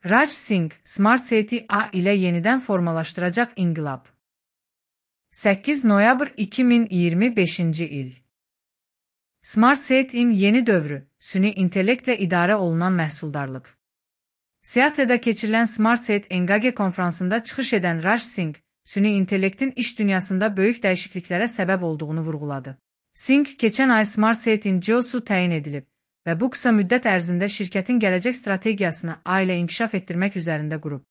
Raj Singh, Smart City A ilə yenidən formalaşdıracaq inqilab. 8 noyabr 2025-ci il. Smart City'nin yeni dövrü, süni intellektlə idarə olunan məhsuldarlıq. Seattle'da keçirilən Smart City Engage konferansında çıxış edən Raj Singh, süni intellektin iş dünyasında böyük dəyişikliklərə səbəb olduğunu vurğuladı. Singh, keçən ay Smart City'nin CEO-su təyin edilib və bu qısa müddət ərzində şirkətin gələcək strategiyasını ailə inkişaf etdirmək üzərində qurub.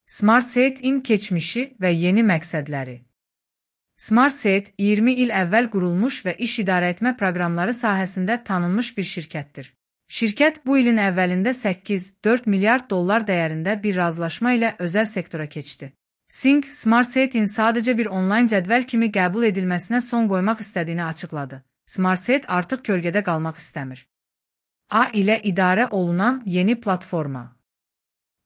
Smart City'nin keçmişi və yeni məqsədləri. Smart City 20 il əvvəl qurulmuş və iş idarəetmə proqramları sahəsində tanınmış bir şirkətdir. Şirkət bu ilin əvvəlində 8,4 milyard dollar dəyərində bir razılaşma ilə özəl sektora keçdi. Singh, Smart City'nin sadəcə bir onlayn cədvəl kimi qəbul edilməsinə son qoymaq istədiyini açıqladı. Smart City artıq kölgədə qalmaq istəmir. A ilə idarə olunan yeni platforma.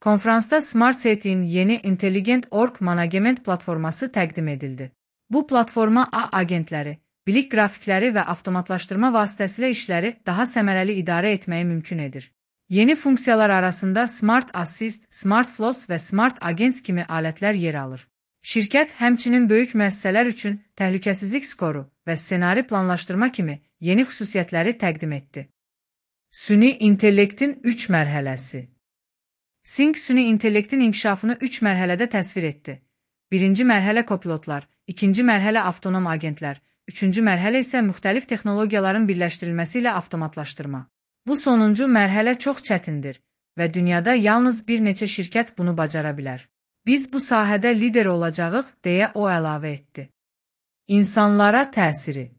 Konferansda Smart City'nin yeni Intelligent Org Management platforması təqdim edildi. Bu platforma A agentləri, bilik qrafikləri və avtomatlaşdırma vasitəsilə işləri daha səmərəli idarə etməyi mümkün edir. Yeni funksiyalar arasında Smart Assist, Smart Flows və Smart Agents kimi alətlər yer alır. Şirkət həmçinin böyük müəssisələr üçün təhlükəsizlik skoru və ssenari planlaşdırma kimi yeni xüsusiyyətləri təqdim etdi. Süni intellektin 3 mərhələsi. Singh süni intellektin inkişafını 3 mərhələdə təsvir etdi. Birinci mərhələ kopilotlar, ikinci mərhələ avtonom agentlər, üçüncü mərhələ isə müxtəlif texnologiyaların birləşdirilməsi ilə avtomatlaşdırma. Bu sonuncu mərhələ çox çətindir və dünyada yalnız bir neçə şirkət bunu bacara bilər. Biz bu sahədə lider olacağıq, deyə o əlavə etdi. İnsanlara təsiri.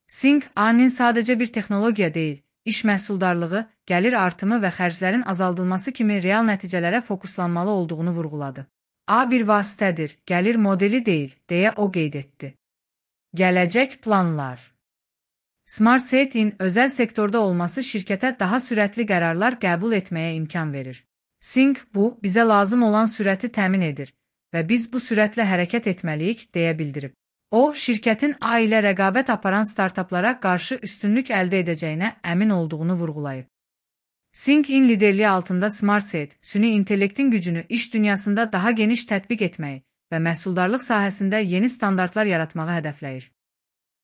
Singh, A-nin sadəcə bir texnologiya deyil, iş məhsuldarlığı, gəlir artımı və xərclərin azaldılması kimi real nəticələrə fokuslanmalı olduğunu vurğuladı. A bir vasitədir, gəlir modeli deyil, deyə o qeyd etdi. Gələcək planlar. Smart City'nin özəl sektorda olması şirkətə daha sürətli qərarlar qəbul etməyə imkan verir. Singh, bu, bizə lazım olan sürəti təmin edir və biz bu sürətlə hərəkət etməliyik, deyə bildirib. O, şirkətin A ilə rəqabət aparan startaplara qarşı üstünlük əldə edəcəyinə əmin olduğunu vurğulayıb. Singh'in liderliyi altında Smart City, süni intellektin gücünü iş dünyasında daha geniş tətbiq etməyi və məhsuldarlıq sahəsində yeni standartlar yaratmağı hədəfləyir.